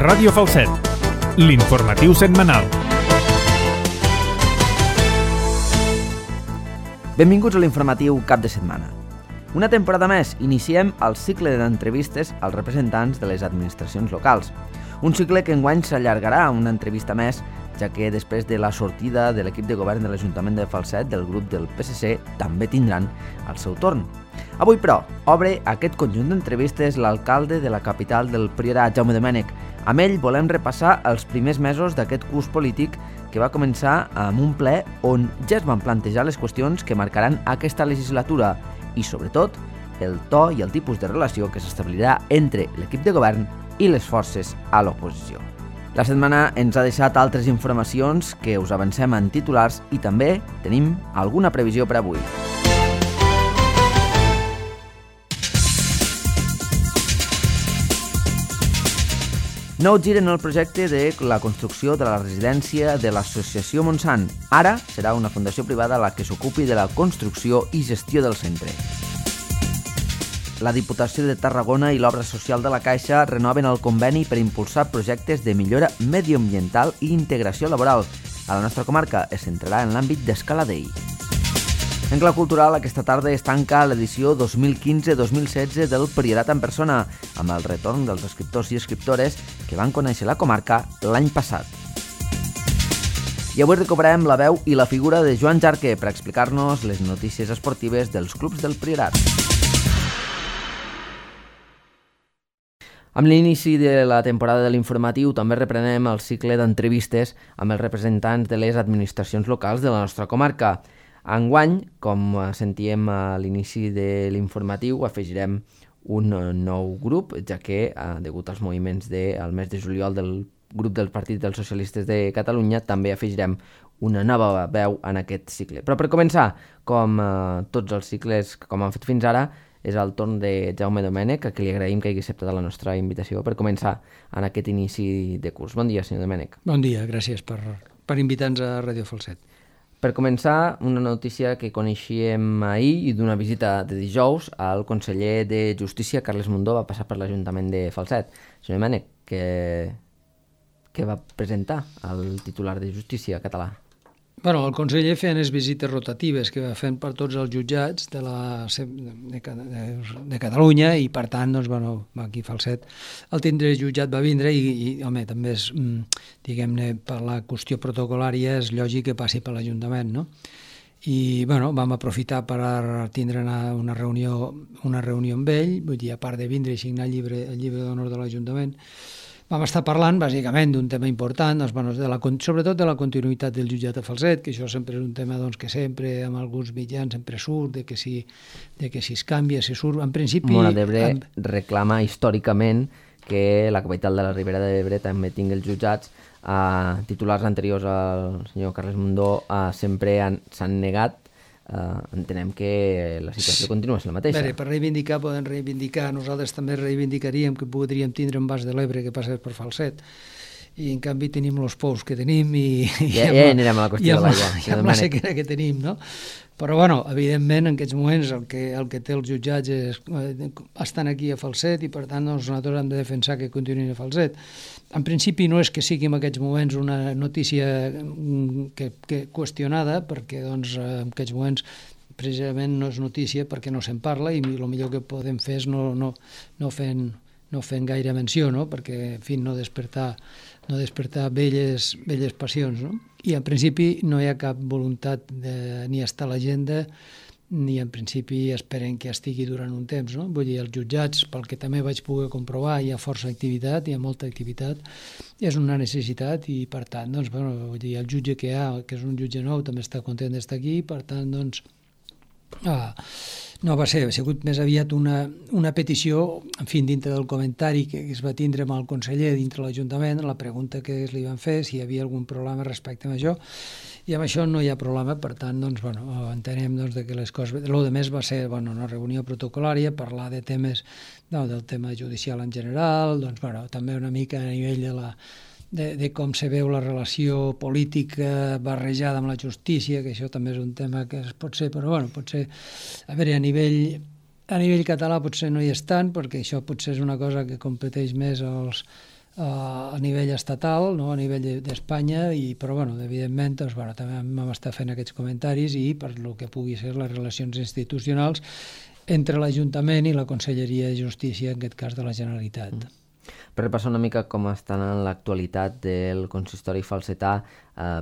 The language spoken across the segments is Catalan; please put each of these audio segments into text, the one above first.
Ràdio Falset, l'informatiu setmanal. Benvinguts a l'informatiu cap de setmana. Una temporada més, iniciem el cicle d'entrevistes als representants de les administracions locals. Un cicle que enguany s'allargarà a una entrevista més, ja que després de la sortida de l'equip de govern de l'Ajuntament de Falset del grup del PSC també tindran el seu torn. Avui, però, obre aquest conjunt d'entrevistes l'alcalde de la capital del Priorat, Jaume Domènech. Amb ell volem repassar els primers mesos d'aquest curs polític que va començar amb un ple on ja es van plantejar les qüestions que marcaran aquesta legislatura i, sobretot, el to i el tipus de relació que s'establirà entre l'equip de govern i les forces a l'oposició. La setmana ens ha deixat altres informacions que us avancem en titulars i també tenim alguna previsió per avui. Nou gir en el projecte de la construcció de la residència de l'Associació Montsant. Ara serà una fundació privada la que s'ocupi de la construcció i gestió del centre. La Diputació de Tarragona i l'Obra Social de la Caixa renoven el conveni per impulsar projectes de millora medioambiental i integració laboral. A la nostra comarca es centrarà en l'àmbit d'Escaladei. En clau cultural, aquesta tarda es tanca l'edició 2015-2016 del Priorat en persona, amb el retorn dels escriptors i escriptores que van conèixer la comarca l'any passat. I avui recuperem la veu i la figura de Joan Jarque per explicar-nos les notícies esportives dels clubs del Priorat. Amb l'inici de la temporada de l'informatiu també reprenem el cicle d'entrevistes amb els representants de les administracions locals de la nostra comarca. Enguany, com sentíem a l'inici de l'informatiu, afegirem un nou grup, ja que, degut als moviments del mes de juliol del grup del Partit dels Socialistes de Catalunya, també afegirem una nova veu en aquest cicle. Però per començar, com tots els cicles com han fet fins ara, és el torn de Jaume Domènech, a qui li agraïm que hagi acceptat la nostra invitació per començar en aquest inici de curs. Bon dia, senyor Domènech. Bon dia, gràcies per invitar-nos a Ràdio Falset. Per començar, una notícia que coneixíem ahir i d'una visita de dijous, el conseller de Justícia, Carles Mundó, va passar per l'Ajuntament de Falset. Senyor Domènech, què va presentar el titular de Justícia català? Bueno, el conseller feia les visites rotatives que va fent per tots els jutjats de Catalunya i, per tant, doncs, bueno, aquí a Falset el tindre jutjat va vindre i home, també és, diguem-ne, per la qüestió protocolària és lògic que passi per l'Ajuntament, no? I, bueno, vam aprofitar per tindre una reunió amb ell, vull dir, a part de vindre i signar el llibre d'honor de l'Ajuntament. Vam estar parlant, bàsicament, d'un tema important, doncs, bueno, sobretot de la continuïtat del jutjat de Falset, que això sempre és un tema doncs, que sempre, amb alguns mitjans, sempre surt, de que si es canvia, si surt... En principi... Móra d'Ebre reclama històricament que la capital de la Ribera d'Ebre també tingui els jutjats. Titulars anteriors al senyor Carles Mundó sempre s'han negat. Entenem que la situació continua sent la mateixa. Bé, per reivindicar, poden reivindicar. Nosaltres també reivindicaríem que podríem tindre un Bas de l'Ebre que passés per Falset. I, en canvi, tenim els pous que tenim ja anirem a la qüestió de l'aigua. I amb la sequera que tenim, no? Però, bueno, evidentment, en aquests moments el que té els jutjats estan aquí a Falset i, per tant, doncs, nosaltres hem de defensar que continuïn a Falset. En principi no és que sigui en aquests moments una notícia que qüestionada, perquè doncs, en aquests moments precisament no és notícia perquè no se'n parla i el millor que podem fer és no fent gaire menció, no? Perquè, en fi, no despertar velles passions, no? I en principi no hi ha cap voluntat ni estar a l'agenda ni en principi esperen que estigui durant un temps, no? Vull dir, els jutjats, pel que també vaig poder comprovar, hi ha força activitat, hi ha molta activitat, és una necessitat i, per tant, doncs, bueno, vull dir, el jutge que hi ha, que és un jutge nou, també està content d'estar aquí, per tant, doncs, no va ser, ha sigut més aviat una petició, en fi, dintre del comentari que es va tindre amb el conseller dintre l'Ajuntament, la pregunta que li van fer, si hi havia algun problema respecte a això, i amb això no hi ha problema, per tant, doncs, bueno, entenem doncs, que les coses... El que més va ser una reunió protocolària, parlar de temes, del tema judicial en general, doncs, bueno, també una mica a nivell de com se veu la relació política barrejada amb la justícia, que això també és un tema que pot ser, però bueno, potser, a veure, a nivell català potser no hi és tant, perquè això potser és una cosa que competeix més a nivell estatal, no? A nivell d'Espanya, però evidentment també vam estar fent aquests comentaris i per lo que pugui ser les relacions institucionals entre l'Ajuntament i la Conselleria de Justícia, en aquest cas de la Generalitat. Per repassar una mica com estan en l'actualitat del consistori falsetà,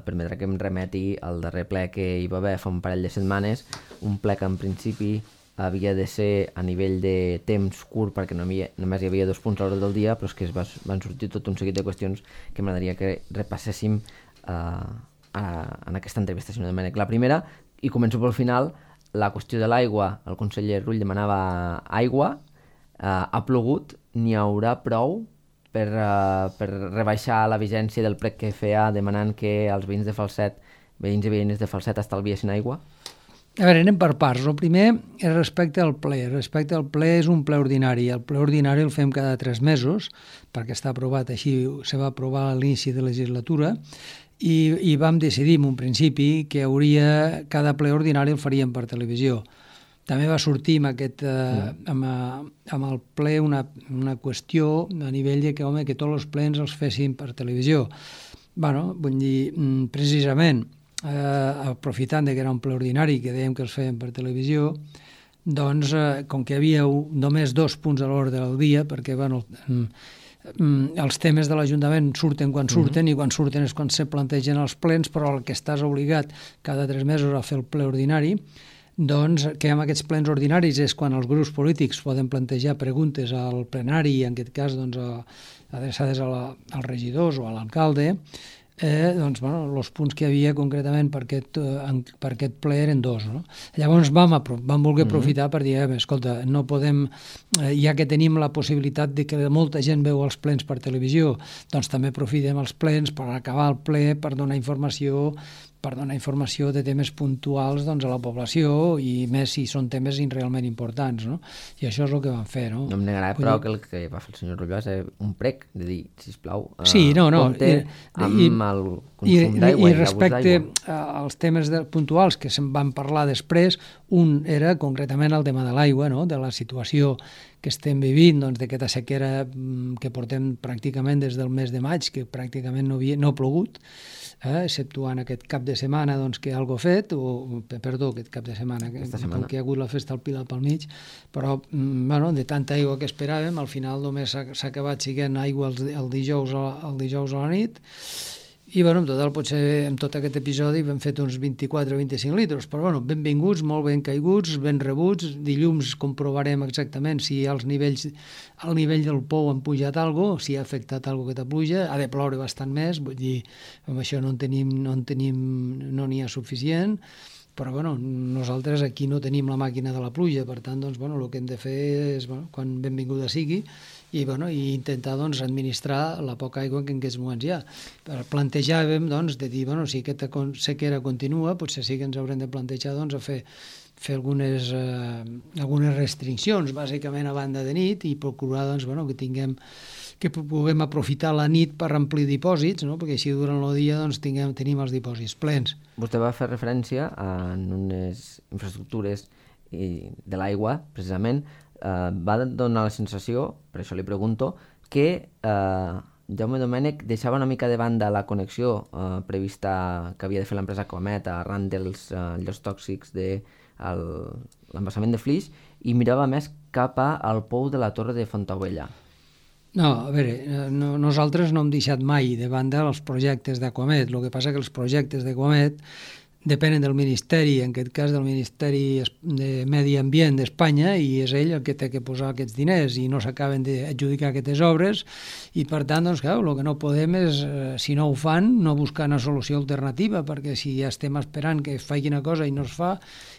permetrà que em remeti al darrer ple que hi va haver fa un parell de setmanes, un ple que en principi havia de ser a nivell de temps curt perquè només hi havia 2 punts a l'hora del dia, però és que van sortir tot un seguit de qüestions que m'agradaria que repasséssim en aquesta entrevista, senyor Domènech. La primera, i començo pel final, la qüestió de l'aigua. El conseller Rull demanava aigua, ha plogut, n'hi haurà prou per rebaixar la vigència del plec que feia demanant que els veïns i veïnes de Falset estalviessin aigua? A veure, anem per parts. El primer és respecte al ple. Respecte al ple és un ple ordinari. El ple ordinari el fem cada 3 mesos, perquè està aprovat així, se va aprovar a l'inici de legislatura, i vam decidir en un principi que cada ple ordinari el faríem per televisió. També va sortir amb el ple una qüestió a nivell de que tots els plens els fessin per televisió. Vull dir, precisament, aprofitant que era un ple ordinari que dèiem que els feien per televisió, doncs com que hi havia només 2 punts a l'ordre del dia, perquè els temes de l'Ajuntament surten quan surten i quan surten és quan se plantegen els plens, però el que estàs obligat cada 3 mesos a fer el ple ordinari, doncs que amb aquests plens ordinaris és quan els grups polítics poden plantejar preguntes al plenari, en aquest cas adreçades als regidors o a l'alcalde. Els punts que hi havia concretament per aquest ple eren 2. Llavors vam voler aprofitar per dir, escolta, no podem, ja que tenim la possibilitat de que molta gent veu els plens per televisió, doncs també aprofitem els plens per acabar el ple, per donar informació de temes puntuals a la població, i més si són temes realment importants, no? I això és el que vam fer, no? No em negarà, però, que el que va fer el senyor Rull va ser un prec, de dir, sisplau, compte amb el consum d'aigua i respecte als temes puntuals que se'n van parlar després, un era concretament el tema de l'aigua, no? De la situació que estem vivint, d'aquesta sequera que portem pràcticament des del mes de maig, que pràcticament no ha plogut, exceptuant aquest cap de setmana que algo ha fet, aquest cap de setmana, com que hi ha hagut la festa al Pilar pel mig, però de tanta aigua que esperàvem, al final només s'ha acabat siguent aigua el dijous a la nit, i en total potser en tot aquest episodi hem fet uns 24 o 25 litres, però benvinguts, molt ben caiguts, ben rebuts. Dilluns comprovarem exactament si al nivell del pou han pujat alguna cosa, si ha afectat alguna cosa aquesta pluja. Ha de ploure bastant més, vull dir, amb això no n'hi ha suficient, però nosaltres aquí no tenim la màquina de la pluja, per tant, el que hem de fer és, quan benvinguda sigui, i intentar administrar la poca aigua que en aquests moments hi ha. Plantejàvem de dir, si aquesta sequera continua, potser sí que ens haurem de plantejar a fer algunes restriccions, bàsicament a banda de nit, i procurar que puguem aprofitar la nit per omplir dipòsits, no? Perquè així durant el dia tenim els dipòsits plens. Vostè va fer referència a unes infraestructures de l'aigua, precisament. Va donar la sensació, per això li pregunto, que Jaume Domènech deixava una mica de banda la connexió prevista que havia de fer l'empresa Comet arran dels llocs tòxics de l'embassament de Flix i mirava més cap al pou de la Torre de Fontaubella. No, a veure, nosaltres no hem deixat mai de banda els projectes d'Aquamet. El que passa que els projectes d'Aquamet depenen del Ministeri, en aquest cas del Ministeri de Medi Ambient d'Espanya, i és ell el que té que posar aquests diners i no s'acaben d'adjudicar aquestes obres, i per tant, el que no podem és, si no ho fan, no buscar una solució alternativa, perquè si ja estem esperant que faci una cosa i no es fa,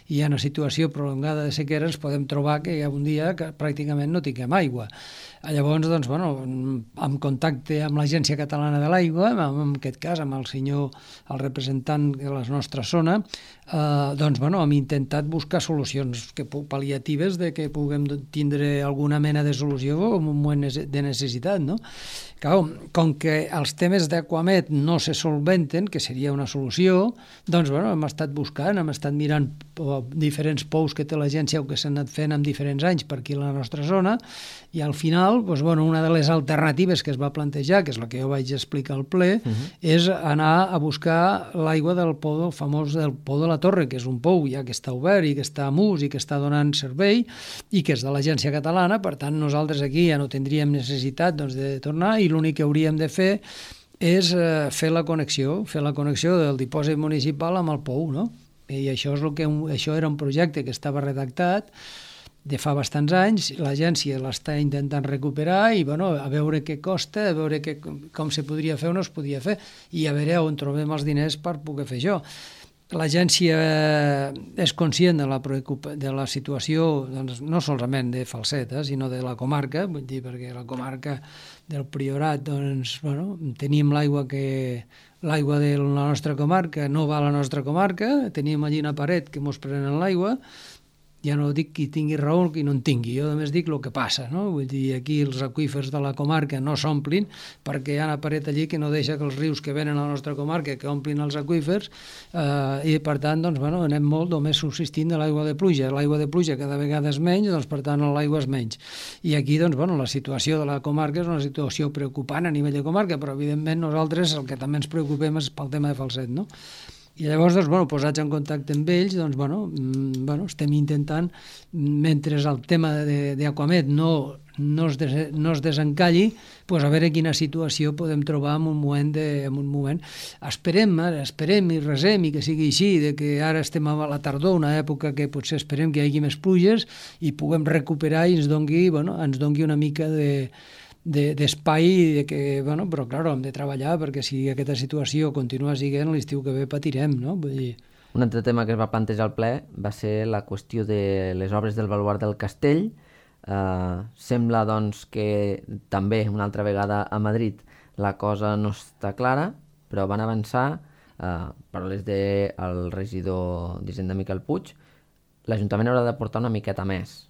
i hi ha una situació prolongada de sequera, ens podem trobar que hi ha un dia que pràcticament no tinguem aigua. Llavors, en contacte amb l'Agència Catalana de l'Aigua, en aquest cas amb el representant de les nostres zona, doncs, bueno, hem intentat buscar solucions pal·liatives de que puguem tindre alguna mena de solució en un moment de necessitat, no? Clar, com que els temes d'Aquamed no se solventen, que seria una solució, doncs, bueno, hem estat buscant, hem estat mirant diferents pous que té l'agència o que s'han anat fent en diferents anys per aquí a la nostra zona, i al final, doncs, bueno, una de les alternatives que es va plantejar, que és la que jo vaig explicar al ple, és anar a buscar l'aigua del pou, el famós del pou de la Torre, que és un pou ja que està obert i que està a ús i que està donant servei i que és de l'Agència Catalana. Per tant, nosaltres aquí ja no tindríem necessitat, doncs, de tornar, i l'únic que hauríem de fer és fer la connexió del dipòsit municipal amb el pou, no? I això era un projecte que estava redactat de fa bastants anys, l'agència l'està intentant recuperar i, bueno, a veure què costa, a veure com se podria fer o no es podia fer, i a veure on trobem els diners per poder fer això. L'agència és conscient de la situació, doncs, no solament de Falset, sinó de la comarca, vull dir, perquè la comarca del Priorat, doncs, bueno, tenim l'aigua de la nostra comarca no va a la nostra comarca, tenim allí una paret que mos prenen l'aigua. Ja no dic qui tingui raó o qui no en tingui, jo només dic el que passa, no? Vull dir, aquí els aqüífers de la comarca no s'omplin perquè hi ha una paret allí que no deixa que els rius que venen a la nostra comarca que omplin els aqüífers, i per tant, doncs, bueno, anem molt només subsistint de l'aigua de pluja. L'aigua de pluja cada vegada és menys, doncs, per tant, l'aigua és menys. I aquí, doncs, bueno, la situació de la comarca és una situació preocupant a nivell de comarca, però evidentment nosaltres el que també ens preocupem és pel tema de Falset, no? I llavors, doncs, bueno, posats en contacte amb ells, doncs, bueno, estem intentant, mentre el tema d'Aquamed no es desencalli, pues a veure quina situació podem trobar en un moment. Esperem i resem i que sigui així, de que ara estem a la tardor, una època que potser esperem que hi hagi més pluges i puguem recuperar i ens dongui una mica d'espai, bueno, però clar, hem de treballar perquè si aquesta situació continua siguent, l'estiu que ve patirem, no? Vull dir... Un altre tema que es va plantejar al ple va ser la qüestió de les obres del baluard del castell. Sembla, doncs, que també una altra vegada a Madrid la cosa no està clara, però van avançar, paraules del regidor d'Hisenda Miquel Puig, l'Ajuntament haurà d'aportar una miqueta més.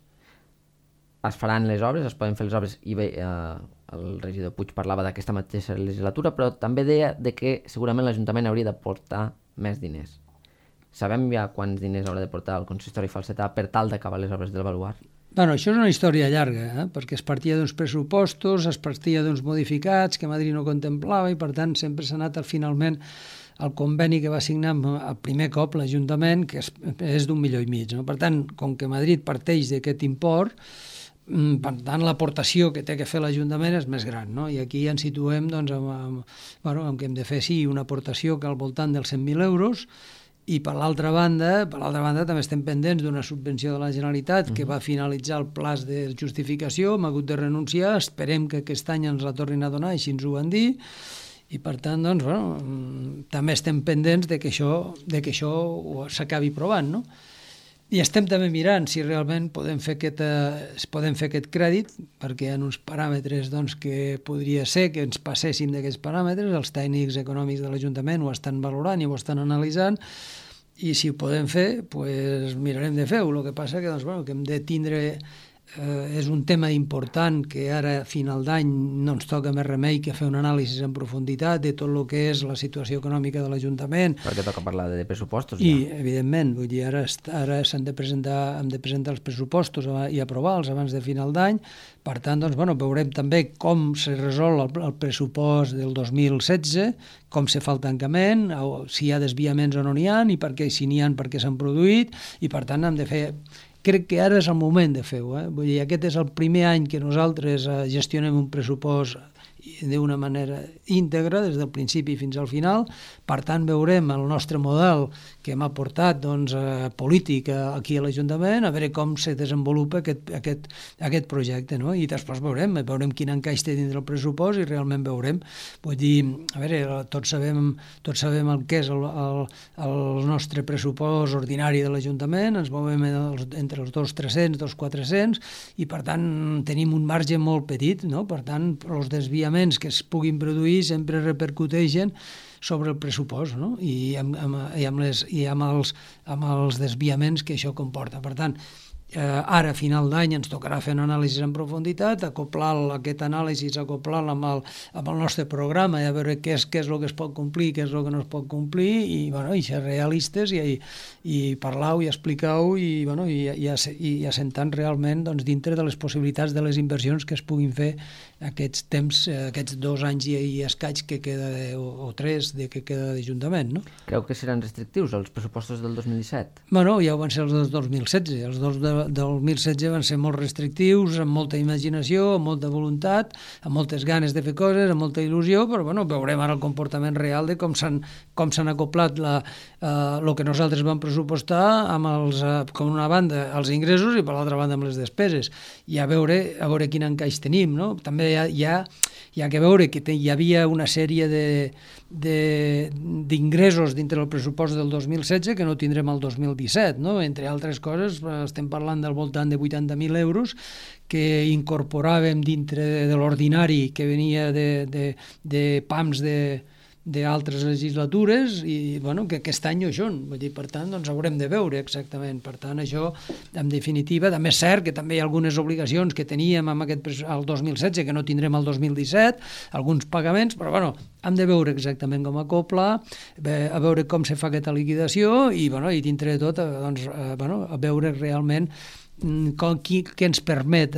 Es faran les obres, es poden fer les obres, i bé, el regidor Puig parlava d'aquesta mateixa legislatura, però també deia que segurament l'Ajuntament hauria d'aportar més diners. Sabem ja quants diners haurà de portar el consistori falsetà per tal d'acabar les obres del baluard? Bueno, això és una història llarga, perquè es partia d'uns pressupostos, es partia d'uns modificats que Madrid no contemplava i, per tant, sempre s'ha anat finalment el conveni que va signar el primer cop l'Ajuntament, que és d'1,5 milions, no? Per tant, com que Madrid parteix d'aquest import, per tant, l'aportació que té que fer l'Ajuntament és més gran, no? I aquí ens situem, doncs, amb que hem de fer, sí, una aportació que al voltant dels 100.000 euros, i per l'altra banda també estem pendents d'una subvenció de la Generalitat que va finalitzar el plaç de justificació, hem hagut de renunciar, esperem que aquest any ens la tornin a donar, així ens ho van dir, i per tant, doncs, bueno, també estem pendents de que això s'acabi provant, no? I estem també mirant si realment podem fer aquest crèdit, perquè hi ha uns paràmetres, doncs, que podria ser que ens passéssim d'aquests paràmetres, els tècnics econòmics de l'Ajuntament ho estan valorant i ho estan analitzant, i si ho podem fer, doncs mirarem de fer-ho. El que passa que, doncs, bueno, que hem de tindre... és un tema important que ara, a final d'any, no ens toca més remei que fer un anàlisi en profunditat de tot el que és la situació econòmica de l'Ajuntament. Perquè toca parlar de pressupostos, ja. I, evidentment, vull dir, ara hem de presentar els pressupostos i aprovar-los abans de final d'any. Per tant, doncs, bueno, veurem també com se resol el pressupost del 2016, com se fa el tancament, si hi ha desviaments o no n'hi ha, i si n'hi ha, per què s'han produït, i per tant hem de fer... Crec que ara és el moment de fer-ho. Vull dir, aquest és el primer any que nosaltres gestionem un pressupost d'una manera íntegra, des del principi fins al final. Per tant, veurem el nostre model que hem aportat, doncs, polític aquí a l'Ajuntament, a veure com se desenvolupa aquest projecte, no? I després veurem quin encaix té dins del pressupost i realment veurem. Vull dir, a veure, tots sabem el que és el nostre pressupost ordinari de l'Ajuntament, ens movem entre els 2.300, 2.400, i per tant tenim un marge molt petit, no? Per tant, els desviaments que es puguin produir sempre repercuteixen sobre el pressupost, no? I amb els desviaments que això comporta. Per tant, ara a final d'any ens tocarà fer una anàlisi en profunditat, acoplar aquest anàlisi, acoplar-la amb el nostre programa i a veure què és el que es pot complir, què és el que no es pot complir i ser realistes i parlar-ho i explicar-ho i assentant realment dintre de les possibilitats de les inversions que es puguin fer aquests temps, aquests 2 anys i escaig que queda, o 3 que queda d'Ajuntament, no? Creu que seran restrictius els pressupostos del 2017? Bueno, ja ho van ser els del 2016. Els del 2016 van ser molt restrictius, amb molta imaginació, amb molta voluntat, amb moltes ganes de fer coses, amb molta il·lusió, però veurem ara el comportament real de com s'han acoplat el que nosaltres vam pressupostar amb com una banda els ingressos i per l'altra banda amb les despeses. I a veure quin encaix tenim, no? També hi ha que veure que hi havia una sèrie d'ingressos dintre del pressupost del 2016 que no tindrem el 2017, no? Entre altres coses, estem parlant del voltant de 80.000 euros que incorporàvem dintre de l'ordinari que venia de PAMs d'altres legislatures i que aquest any no hi són. Per tant, haurem de veure exactament. Per tant, això, en definitiva, també és cert que també hi ha algunes obligacions que teníem el 2016 que no tindrem el 2017, alguns pagaments, però hem de veure exactament com acoplar, a veure com se fa aquesta liquidació i dintre de tot, a veure realment què ens permet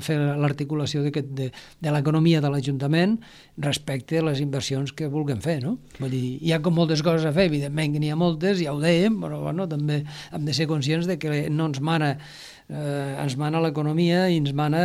fer l'articulació de l'economia de l'Ajuntament respecte a les inversions que vulguem fer, no? Vull dir, hi ha com moltes coses a fer, evidentment que n'hi ha moltes, ja ho dèiem, però també hem de ser conscients de que no ens mana l'economia i ens mana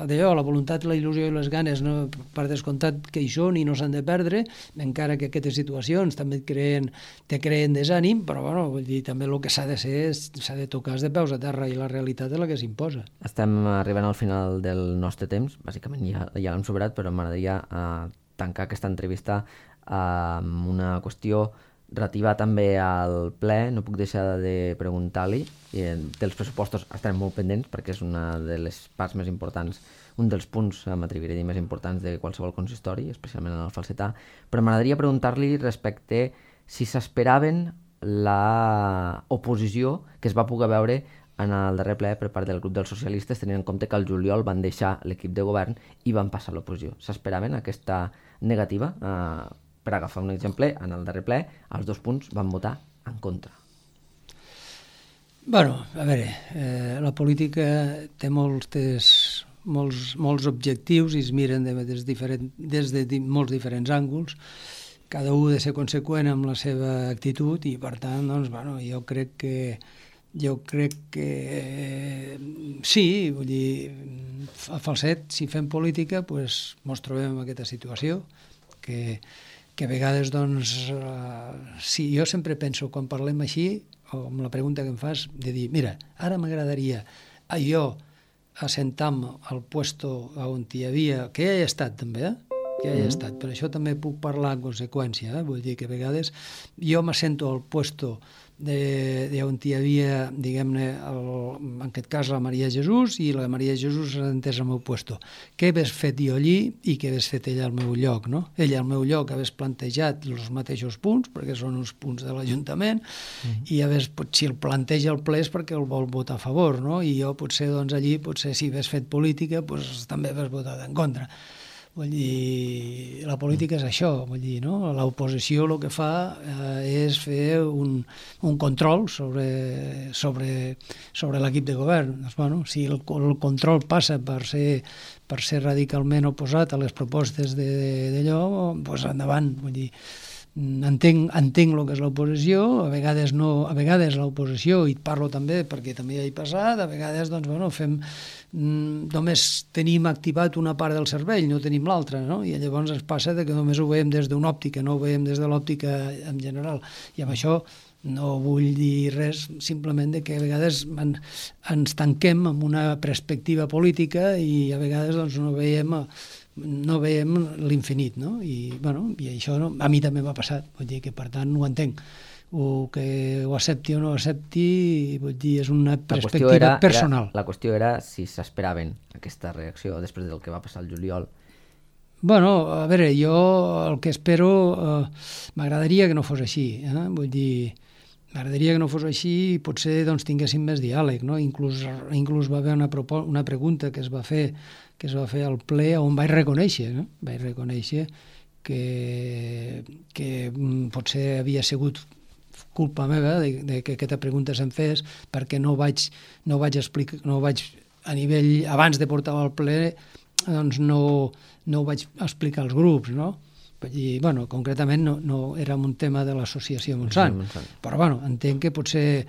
la voluntat, la il·lusió i les ganes, no? Per descomptat que hi són i no s'han de perdre, encara que aquestes situacions també te creen desànim, però vull dir, també el que s'ha de ser s'ha de tocar de peus a terra i la realitat és la que s'imposa. Estem arribant al final del nostre temps, bàsicament ja l'hem superat, però m'agradaria tancar aquesta entrevista amb una qüestió relativa també al ple. No puc deixar de preguntar-li dels pressupostos. Estarem molt pendents perquè és una de les parts més importants, un dels punts, m'atreviré a dir, més importants de qualsevol consistori, especialment en el Falsetà, però m'agradaria preguntar-li respecte si s'esperaven l'oposició que es va poder veure en el darrer ple per part del grup dels socialistes, tenint en compte que al juliol van deixar l'equip de govern i van passar a l'oposició. S'esperaven aquesta negativa? Per agafar un exemple, en el darrer ple, els 2 punts van votar en contra. A veure, la política té molts objectius i es miren des de molts diferents ànguls. Cada un ha de ser conseqüent amb la seva actitud i, per tant, jo crec que sí, vull dir, a Falset, si fem política, ens trobem en aquesta situació que a vegades, sí, jo sempre penso, quan parlem així, o amb la pregunta que em fas, de dir, mira, ara m'agradaria jo assentar-me al puesto on hi havia, que ja hi he estat també, que ja hi he estat, per això també puc parlar en conseqüència, vull dir que a vegades jo m'assento al puesto on hi havia, diguem-ne, en aquest cas la Maria Jesús, i la Maria Jesús s'assentés al meu puesto. Què hagués fet jo allí i què hagués fet ella al meu lloc, no? Ella al meu lloc hagués plantejat els mateixos punts, perquè són uns punts de l'Ajuntament, i si el planteja el ple és perquè el vol votar a favor, no? I jo potser, allí, si hagués fet política, també hagués votat en contra. Vull dir, la política és això, vull dir, no? L'oposició el que fa és fer un control sobre l'equip de govern. Si el control passa per ser radicalment oposat a les propostes d'allò, doncs endavant, vull dir, entenc el que és l'oposició, a vegades l'oposició, i parlo també perquè també hi he passat, a vegades només tenim activat una part del cervell, no tenim l'altra, no? I llavors ens passa que només ho veiem des d'una òptica, no ho veiem des de l'òptica en general, i amb això no vull dir res, simplement que a vegades ens tanquem en una perspectiva política i a vegades no veiem l'infinit, no? I això a mi també m'ha passat, vull dir que per tant ho entenc. Que ho accepti o no ho accepti, vull dir, és una perspectiva personal. La qüestió era si s'esperaven aquesta reacció després del que va passar al juliol Bueno, a veure, jo el que espero, m'agradaria que no fos així, vull dir, m'agradaria que no fos així i potser doncs, tinguéssim més diàleg, no? Inclús va haver una pregunta que es va fer al ple on vaig reconèixer, que potser havia sigut culpa meva de que aquesta pregunta se'm fes perquè no vaig a nivell, abans de portar-ho al ple, doncs no ho vaig explicar als grups, no? Vull dir, bueno, concretament no era un tema de l'associació Montsant, però bueno, entenc que potser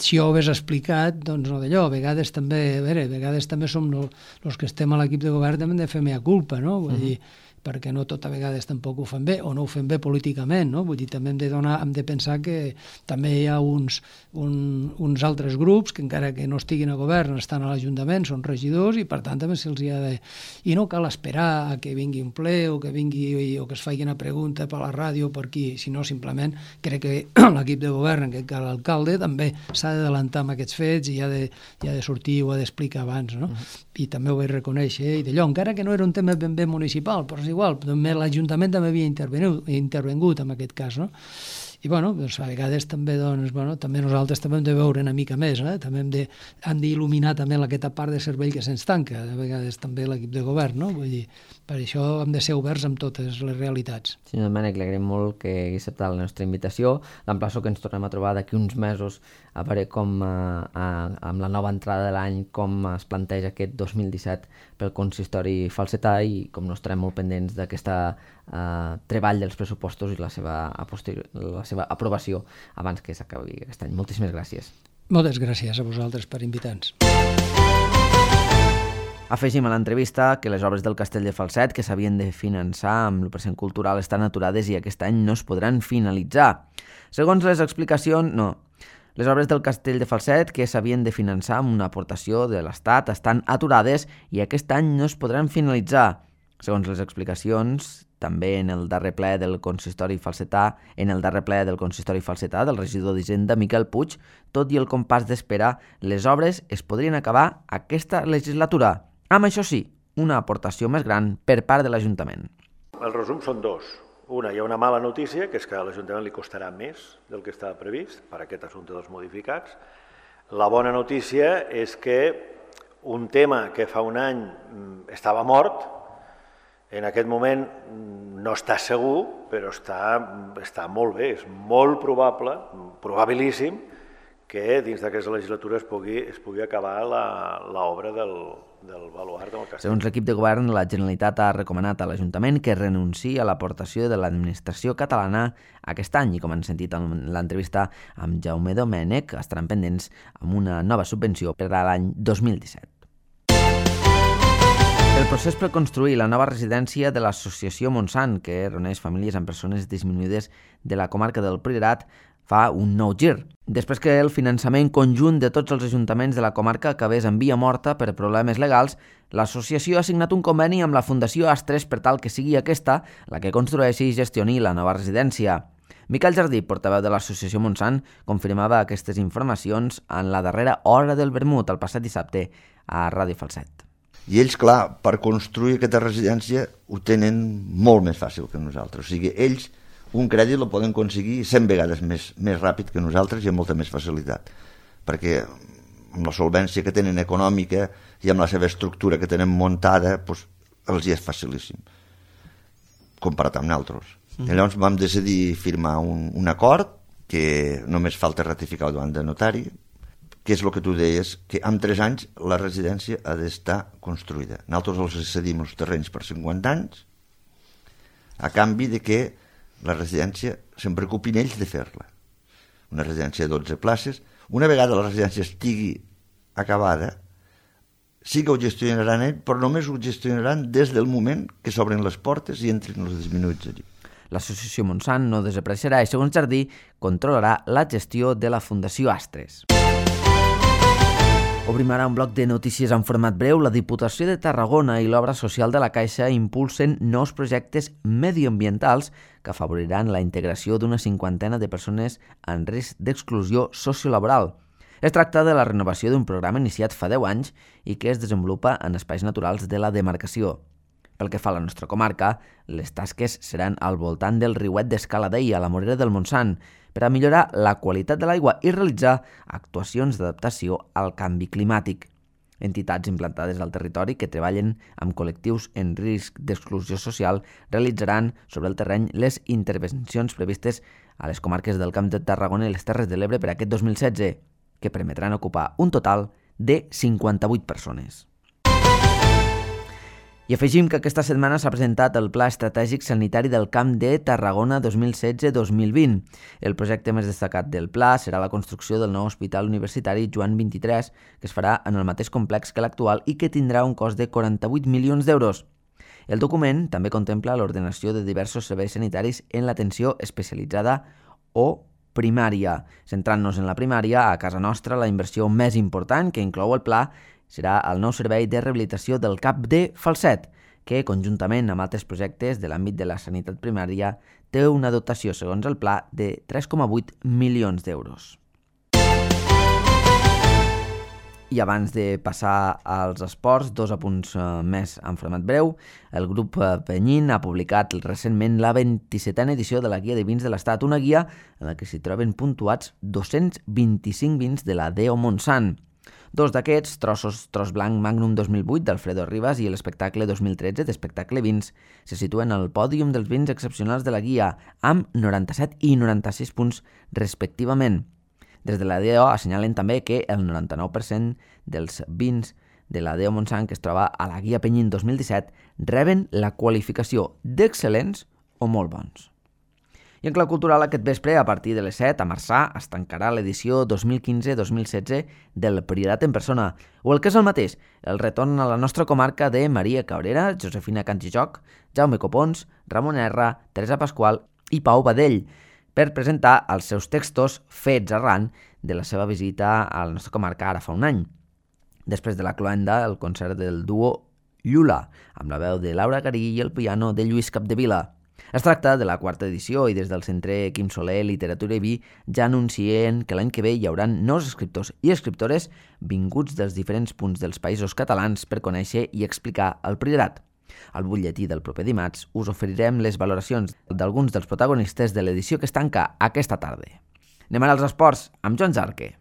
si ho hagués explicat, doncs no d'allò, a vegades també som els que estem a l'equip de govern també hem de fer mea culpa, no? Vull dir, perquè no tot a vegades tampoc ho fem bé, o no ho fem bé políticament, no? Vull dir, també hem de pensar que també hi ha uns altres grups que encara que no estiguin a govern estan a l'Ajuntament, són regidors i per tant també se'ls ha de... I no cal esperar a que vingui un ple o que es faci una pregunta per la ràdio o per aquí, sinó simplement crec que l'equip de govern, en aquest cas l'alcalde, també s'ha d'adelantar amb aquests fets i ha de sortir o ha d'explicar abans, no? I també ho vaig reconèixer i d'allò, encara que no era un tema ben bé municipal, però és igual, l'Ajuntament també havia intervengut en aquest cas, no? I bueno, doncs a vegades també, també nosaltres també hem de veure una mica més, també hem d'il·luminar també aquesta part de cervell que se'ns tanca, a vegades també l'equip de govern, no? Vull dir, per això hem de ser oberts amb totes les realitats. Senyor Domènech, li agraïm molt que hagi acceptat la nostra invitació. L'emplaço que ens tornem a trobar d'aquí uns mesos a veure com, amb la nova entrada de l'any, com es planteja aquest 2017 pel consistori falsetà i com no estarem molt pendents d'aquesta treball dels pressupostos i la seva aprovació abans que s'acabi aquest any. Moltíssimes gràcies. Moltes gràcies a vosaltres per invitar-nos. Afegim a l'entrevista que les obres del Castell de Falset que s'havien de finançar amb l'1% cultural estan aturades i aquest any no es podran finalitzar. Segons les explicacions, no. Les obres del Castell de Falset que s'havien de finançar amb una aportació de l'Estat estan aturades i aquest any no es podran finalitzar. Segons les explicacions, també en el darrer ple del consistori falsetà, del regidor d'Hisenda, Miquel Puig, tot i el compàs d'espera, les obres es podrien acabar aquesta legislatura. Amb això sí, una aportació més gran per part de l'Ajuntament. El resum són dos. Una, hi ha una mala notícia, que és que a l'Ajuntament li costarà més del que estava previst per aquest assumpte dels modificats. La bona notícia és que un tema que fa un any estava mort, en aquest moment no està segur, però està molt bé, és molt probable, probabilíssim, que dins d'aquesta legislatura es pugui acabar l'obra del baluard del castell. Segons l'equip de govern, la Generalitat ha recomanat a l'Ajuntament que renunciï a l'aportació de l'administració catalana aquest any i, com han sentit en l'entrevista amb Jaume Domènech, estaran pendents amb una nova subvenció per a l'any 2017. El procés per construir la nova residència de l'associació Montsant, que reuneix famílies amb persones disminuïdes de la comarca del Priorat, fa un nou gir. Després que el finançament conjunt de tots els ajuntaments de la comarca acabés en via morta per problemes legals, l'associació ha signat un conveni amb la Fundació Astres per tal que sigui aquesta la que construeixi i gestioni la nova residència. Miquel Jardí, portaveu de l'associació Montsant, confirmava aquestes informacions en la darrera hora del vermut el passat dissabte a Ràdio Falset. I ells, clar, per construir aquesta residència ho tenen molt més fàcil que nosaltres. O sigui, ells un crèdit el poden aconseguir 100 vegades més ràpid que nosaltres i amb molta més facilitat. Perquè amb la solvència que tenen econòmica i amb la seva estructura que tenen muntada, doncs, els hi és facilíssim, comparat amb nosaltres. I llavors vam decidir firmar un acord que només falta ratificar davant de notari, que és el que tu deies, que en 3 anys la residència ha d'estar construïda. Nosaltres els cedim els terrenys per 50 anys, a canvi de que la residència se'n preocupin ells de fer-la. Una residència de 12 places. Una vegada la residència estigui acabada, sí que ho gestionaran ells, però només ho gestionaran des del moment que s'obren les portes i entrin els disminuïts allí. L'associació Montsant no desapareixerà i, segons Jardí, controlarà la gestió de la Fundació Astres. Obrim ara un bloc de notícies en format breu. La Diputació de Tarragona i l'Obra Social de la Caixa impulsen nous projectes mediambientals que afavoriran la integració d'una 50ena de persones en risc d'exclusió sociolaboral. Es tracta de la renovació d'un programa iniciat fa 10 anys i que es desenvolupa en espais naturals de la demarcació. Pel que fa a la nostra comarca, les tasques seran al voltant del riuet d'Escaladei, a la Morera del Montsant, per a millorar la qualitat de l'aigua i realitzar actuacions d'adaptació al canvi climàtic. Entitats implantades al territori que treballen amb col·lectius en risc d'exclusió social realitzaran sobre el terreny les intervencions previstes a les comarques del Camp de Tarragona i les Terres de l'Ebre per aquest 2016, que permetran ocupar un total de 58 persones. I afegim que aquesta setmana s'ha presentat el Pla Estratègic Sanitari del Camp de Tarragona 2016-2020. El projecte més destacat del pla serà la construcció del nou Hospital Universitari Joan 23, que es farà en el mateix complex que l'actual i que tindrà un cost de 48 milions d'euros. El document també contempla l'ordenació de diversos serveis sanitaris en l'atenció especialitzada o primària. Centrant-nos en la primària, a casa nostra la inversió més important que inclou el pla serà el nou servei de rehabilitació del CAP de Falset, que, conjuntament amb altres projectes de l'àmbit de la sanitat primària, té una dotació, segons el pla, de 3,8 milions d'euros. I abans de passar als esports, dos apunts més en format breu. El grup Penyín ha publicat recentment la 27a edició de la Guia de Vins de l'Estat, una guia en la que s'hi troben puntuats 225 vins de la DO Montsant. Dos d'aquests, Tros Blanc Magnum 2008 d'Alfredo Rivas i l'Espectacle 2013 d'Espectacle Vins, se situen al pòdium dels vins excepcionals de la guia, amb 97 i 96 punts respectivament. Des de la DO assenyalen també que el 99% dels vins de la DO Montsant que es troba a la guia Penyín 2017 reben la qualificació d'excel·lents o molt bons. I en clau cultural, aquest vespre, a partir de les 7, a Marçà, es tancarà l'edició 2015-2016 del Priorat en persona, o el que és el mateix, el retorn a la nostra comarca de Maria Cabrera, Josefina Cantijoc, Jaume Copons, Ramon R, Teresa Pasqual i Pau Badell, per presentar els seus textos fets arran de la seva visita a la nostra comarca ara fa un any. Després de la cloenda, el concert del duo Llula, amb la veu de Laura Garí i el piano de Lluís Capdevila. Es tracta de la quarta edició i des del Centre Quim Soler Literatura i Vi ja anuncien que l'any que ve hi haurà nous escriptors i escriptores vinguts dels diferents punts dels països catalans per conèixer i explicar el Priorat. Al butlletí del proper dimarts us oferirem les valoracions d'alguns dels protagonistes de l'edició que es tanca aquesta tarda. Anem ara als esports amb Joan Jarque.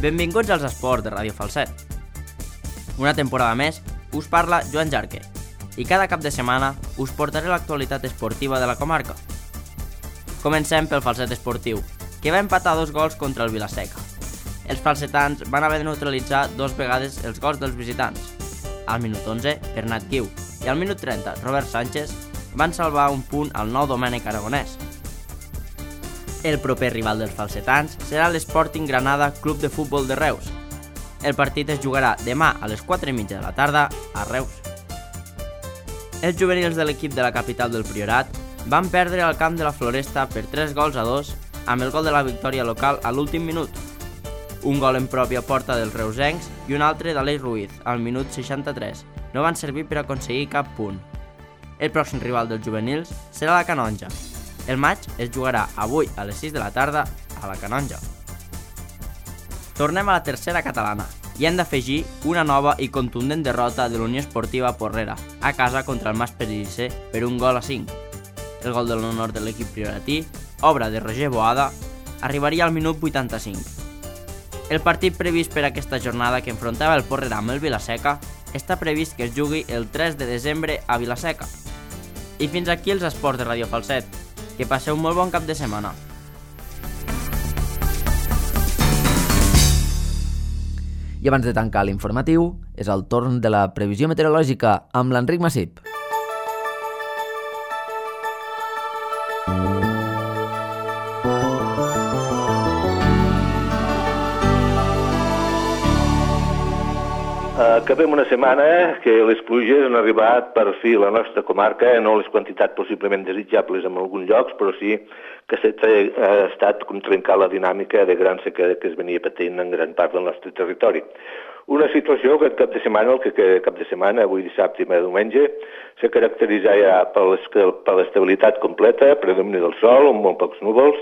Benvinguts als esports de Ràdio Falset. Una temporada més us parla Joan Jarque i cada cap de setmana us portaré l'actualitat esportiva de la comarca. Comencem pel Falset Esportiu, que va empatar 2 gols contra el Vilaseca. Els falsetans van haver de neutralitzar 2 vegades els gols dels visitants. Al minut 11, Bernat Guiu, i al minut 30, Robert Sánchez, van salvar un punt al nou Domènec Aragonès. El proper rival dels falsetans serà l'Sporting Granada Club de Futbol de Reus. El partit es jugarà demà a les 4:30 de la tarda a Reus. Els juvenils de l'equip de la capital del Priorat van perdre al camp de la Floresta per 3-2 amb el gol de la victòria local a l'últim minut. Un gol en pròpia porta dels reusencs i un altre d'Aleix Ruiz al minut 63 no van servir per aconseguir cap punt. El pròxim rival dels juvenils serà la Canonja. El maig es jugarà avui a les 6 de la tarda a la Canonja. Tornem a la tercera catalana i hem d'afegir una nova i contundent derrota de l'Unió Esportiva Porrera a casa contra el Mas Pellicer per 1-5. El gol de l'honor de l'equip prioratí, obra de Roger Boada, arribaria al minut 85. El partit previst per aquesta jornada que enfrontava el Porrera amb el Vilaseca està previst que es jugui el 3 de desembre a Vilaseca. I fins aquí els esports de Ràdio Falset. Que passeu un molt bon cap de setmana. I abans de tancar l'informatiu, és el torn de la previsió meteorològica amb l'Enric Massip. Acabem una setmana que les pluges han arribat per fi a la nostra comarca, no les quantitats possiblement desitjables en alguns llocs, però sí que ha estat com trencar la dinàmica de gran sequera que es venia patint en gran part del nostre territori. Una situació que cap de setmana, avui dissabte i diumenge, se caracteritza ja per l'estabilitat completa, predomini del sol, amb molt pocs núvols,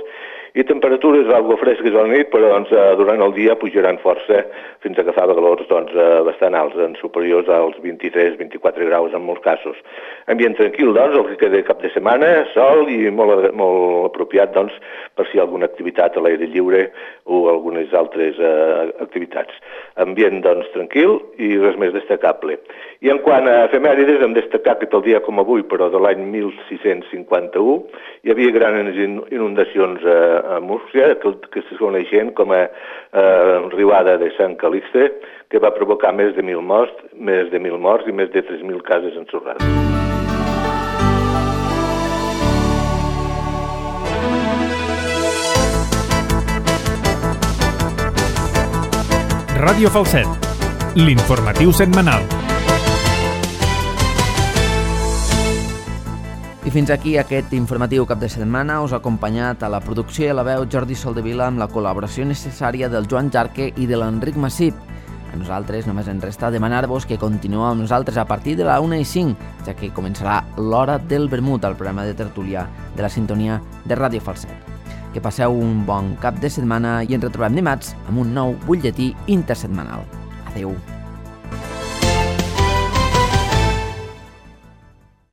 I temperatures algo fresques a la nit, però doncs, durant el dia pujaran força fins a agafar valors doncs, bastant alts, superiors als 23-24 graus en molts casos. Ambient tranquil, doncs, el que queda cap de setmana, sol i molt apropiat doncs, per si hi ha alguna activitat a l'aire lliure o algunes altres activitats. Ambient doncs, tranquil i res més destacable. I en quant a efemèrides, hem destacat que pel dia com avui, però de l'any 1651, hi havia grans inundacions a Múrcia, que se coneixen com a riuada de Sant Calixte, que va provocar més de 1.000 morts i més de 3.000 cases ensorrades. Ràdio Falset, l'informatiu setmanal. I fins aquí aquest informatiu cap de setmana. Us ha acompanyat a la producció i a la veu Jordi Soldevila amb la col·laboració necessària del Joan Jarque i de l'Enric Massip. A nosaltres només ens resta demanar-vos que continueu amb nosaltres a partir de la 1:05, ja que començarà l'Hora del Vermut, el programa de tertúlia de la sintonia de Ràdio Falset. Que passeu un bon cap de setmana i ens retrobem dimarts amb un nou butlletí intersetmanal. Adeu.